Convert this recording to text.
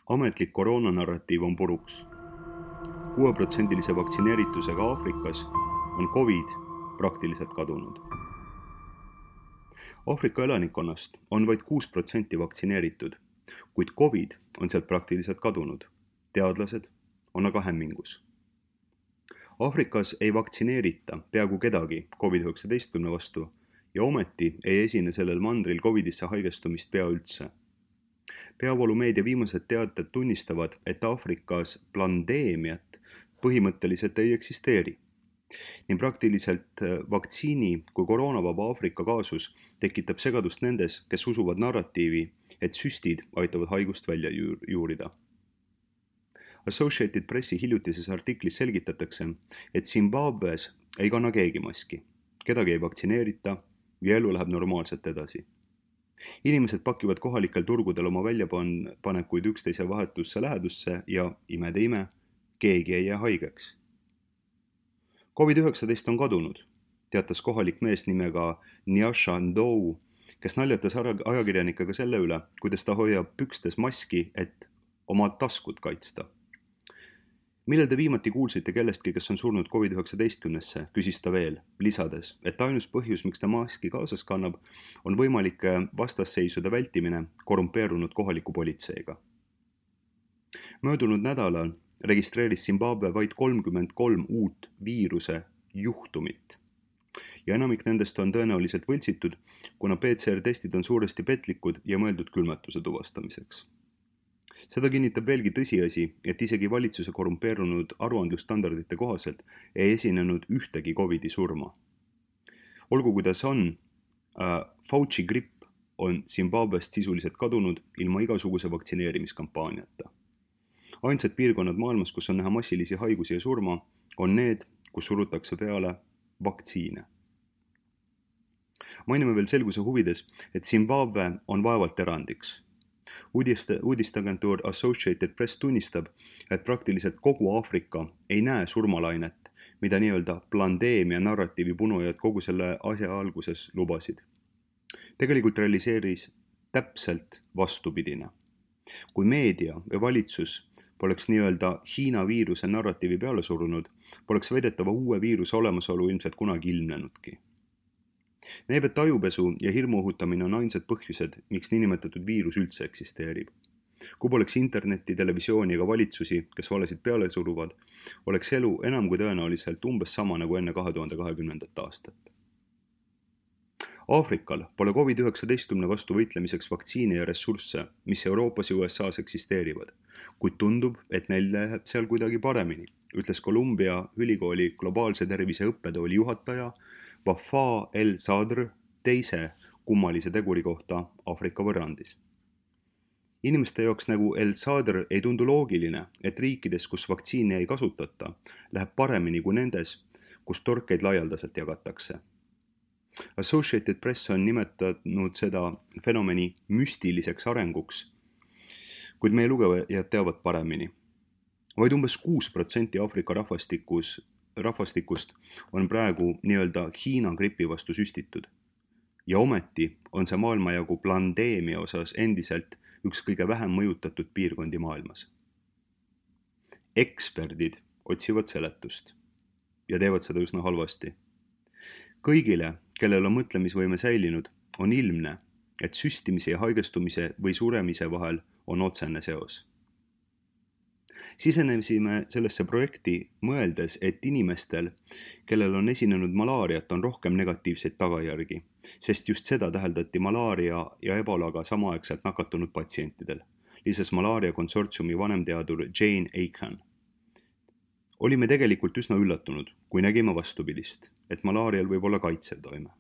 Ametlik koroonanarratiiv on puruks. 6% vaktsineeritusega Aafrikas on Covid praktiliselt kadunud. Aafrika elanikkonnast on vaid 6% vaktsineeritud, kuid Covid on sealt praktiliselt kadunud. Teadlased on aga hämmingus. Aafrikas ei vaktsineerita peaaegu kedagi COVID-19 vastu ja ometi ei esine sellel mandril Covidisse haigestumist pea üldse. Peavoolumeedia viimased teated tunnistavad, et Aafrikas pandeemiat põhimõtteliselt ei eksisteeri. Nii praktiliselt vaktsiini kui koroonavaba Aafrika kaasus tekitab segadust nendes, kes usuvad narratiivi, et süstid aitavad haigust välja juurida. Associated Pressi hiljutises artiklis selgitatakse, et Zimbabwes ei kanna keegi maski, kedagi ei vaktsineerita ja elu läheb normaalselt edasi. Inimesed pakivad kohalikel turgudel oma väljapanekuid üksteise vahetusse lähedusse ja imede ime, keegi ei jää haigeks. COVID-19 on kadunud, teatas kohalik mees nimega Nyasha Ndou, kes naljatas ajakirjanikega selle üle, kuidas ta hoiab pükstes maski, et oma taskut kaitsta. Millal te viimati kuulsite kellestki, kes on surnud COVID-19-sse, küsis ta veel, lisades, et ainus põhjus, miks ta maski kaasas kannab, on võimalike vastasseisude vältimine korrumpeerunud kohaliku politseiga. Möödunud nädalal registreeris Zimbabwe vaid 33 uut viiruse juhtumit. Ja enamik nendest on tõenäoliselt võltsitud, kuna PCR-testid on suuresti petlikud ja mõeldud külmetuse tuvastamiseks. Seda kinnitab veelgi tõsiasi, et isegi valitsuse korrumpeerunud aruandlusstandardite kohaselt ei esinenud ühtegi Covidi surma. Olgu kuidas on, Fauci gripp on Zimbabwest sisuliselt kadunud ilma igasuguse vaktsineerimiskampaaniata. Ainsad piirkonnad maailmas, kus on näha massilisi haigusi ja surma, on need, kus surutakse peale vaktsiine. Mainime veel selguse huvides, et Zimbabwe on vaevalt erandiks. Uudisteagentuur Associated Press tunnistab, et praktiliselt kogu Aafrika ei näe surmalainet, mida nii-öelda pandeemia narratiivi punujad kogu selle asja alguses lubasid. Tegelikult realiseeris täpselt vastupidine. Kui meedia ja valitsus poleks nii-öelda Hiina viiruse narratiivi peale surunud, poleks väidetava uue viiruse olemasolu ilmselt kunagi ilmnenudki. Näib, et ajupesu ja hirmu õhutamine on ainsad põhjused, miks niinimetatud viirus üldse eksisteerib. Kui poleks internetti, televisiooni ega valitsusi, kes valesid peale suruvad, oleks elu enam kui tõenäoliselt umbes sama nagu enne 2020. aastat. Aafrikal pole COVID-19 vastu võitlemiseks vaktsiine ja ressursse, mis Euroopas ja USAs eksisteerivad, kuid tundub, et neil läheb seal kuidagi paremini, ütles Columbia ülikooli globaalse tervise õppetooli juhataja Wafa El Sadr teise kummalise teguri kohta Aafrika võrrandis. Inimeste jaoks nagu El Sadr ei tundu loogiline, et riikides, kus vaktsiini ei kasutata, läheb paremini kui nendes, kus torkeid laialdaselt jagatakse. Associated Press on nimetanud seda fenomeni müstiliseks arenguks, kuid meie lugejad teavad paremini. Vaid umbes 6% Aafrika rahvastikust on praegu nii-öelda Hiina gripi vastu süstitud. Ja ometi on see maailmajagu pandeemia osas endiselt üks kõige vähem mõjutatud piirkondi maailmas. Eksperdid otsivad seletust ja teevad seda üsna halvasti. Kõigile, kellel on mõtlemisvõime säilinud, on ilmne, et süstimise ja haigestumise või suremise vahel on otsene seos. Sisenesime sellesse projekti mõeldes, et inimestel, kellel on esinenud malaariat, on rohkem negatiivseid tagajärgi, sest just seda täheldati malaaria ja ebolaga samaaegselt nakatunud patsientidel, lisas malaaria konsortsiumi vanemteadur Jane Aiken. Olime tegelikult üsna üllatunud, kui nägime vastupidist, et malaarial võib olla kaitsev toime.